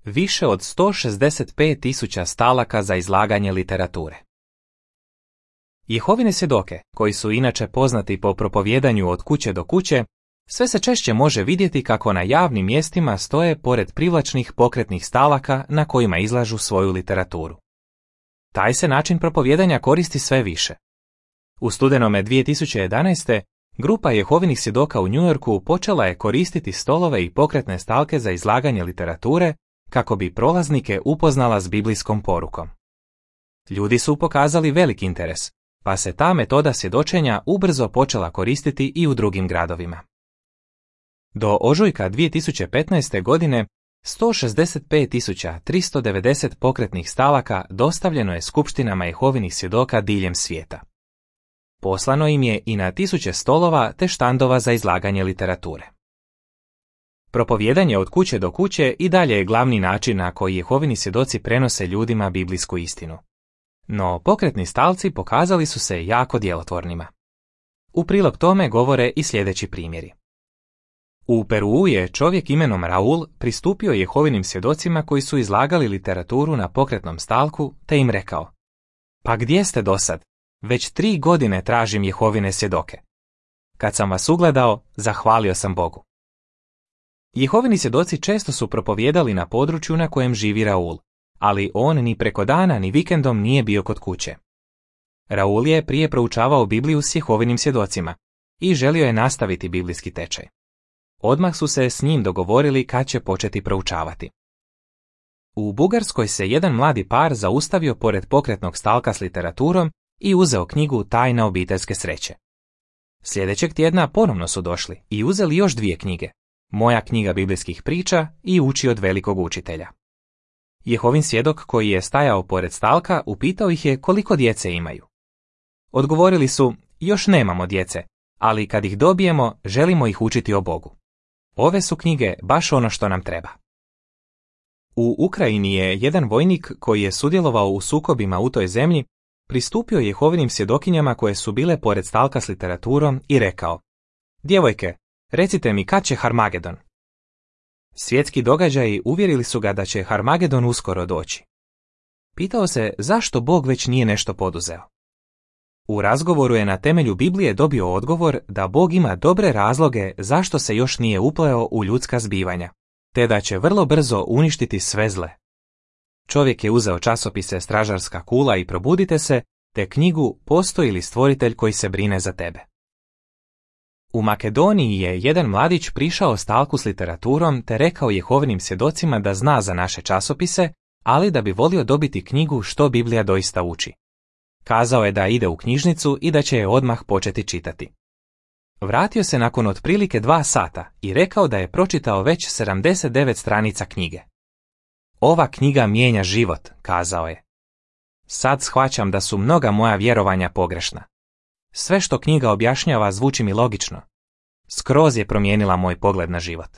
više od 165.000 stalaka za izlaganje literature. Jehovine svjedoke, koji su inače poznati po propovijedanju od kuće do kuće, sve se češće može vidjeti kako na javnim mjestima stoje pored privlačnih pokretnih stalaka na kojima izlažu svoju literaturu. Taj se način propovijedanja koristi sve više. U studenome 2011. grupa Jehovinih svjedoka u New Yorku počela je koristiti stolove i pokretne stalke za izlaganje literature kako bi prolaznike upoznala s biblijskom porukom. Ljudi su pokazali veliki interes, pa se ta metoda svjedočenja ubrzo počela koristiti i u drugim gradovima. Do ožujka 2015. godine 165.390 pokretnih stalaka dostavljeno je skupštinama Jehovinih svjedoka diljem svijeta. Poslano im je i na 1000 stolova te štandova za izlaganje literature. Propovijedanje od kuće do kuće i dalje je glavni način na koji Jehovini svjedoci prenose ljudima biblijsku istinu. No pokretni stalci pokazali su se jako djelotvornima. U prilog tome govore i sljedeći primjeri. U Peruu je čovjek imenom Raul pristupio Jehovinim svjedocima koji su izlagali literaturu na pokretnom stalku te im rekao: "Pa gdje ste dosad? Već 3 godine tražim Jehovine svjedoke. Kad sam vas ugledao, zahvalio sam Bogu." Jehovini svjedoci često su propovijedali na području na kojem živi Raul, ali on ni preko dana ni vikendom nije bio kod kuće. Raul je prije proučavao Bibliju s Jehovinim svjedocima i želio je nastaviti biblijski tečaj. Odmah su se s njim dogovorili kad će početi proučavati. U Bugarskoj se jedan mladi par zaustavio pored pokretnog stalka s literaturom i uzeo knjigu Tajna obiteljske sreće. Sljedećeg tjedna ponovno su došli i uzeli još 2 knjige, Moja knjiga biblijskih priča i Uči od velikog učitelja. Jehovin svjedok koji je stajao pored stalka upitao ih je koliko djece imaju. Odgovorili su: "Još nemamo djece, ali kad ih dobijemo, želimo ih učiti o Bogu. Ove su knjige baš ono što nam treba." U Ukrajini je jedan vojnik koji je sudjelovao u sukobima u toj zemlji pristupio Jehovinim svjedokinjama koje su bile pored stalka s literaturom i rekao: "Djevojke, recite mi kad će Harmagedon." Svjetski događaji uvjerili su ga da će Harmagedon uskoro doći. Pitao se zašto Bog već nije nešto poduzeo. U razgovoru je na temelju Biblije dobio odgovor da Bog ima dobre razloge zašto se još nije upleo u ljudska zbivanja, te da će vrlo brzo uništiti sve zle. Čovjek je uzeo časopise Stražarska kula i Probudite se, te knjigu Postoji li stvoritelj koji se brine za tebe. U Makedoniji je jedan mladić prišao stalku s literaturom te rekao Jehovinim svjedocima da zna za naše časopise, ali da bi volio dobiti knjigu Što Biblija doista uči. Kazao je da ide u knjižnicu i da će je odmah početi čitati. Vratio se nakon otprilike 2 sata i rekao da je pročitao već 79 stranica knjige. "Ova knjiga mijenja život", kazao je. "Sad shvaćam da su mnoga moja vjerovanja pogrešna. Sve što knjiga objašnjava zvuči mi logično. Skroz je promijenila moj pogled na život."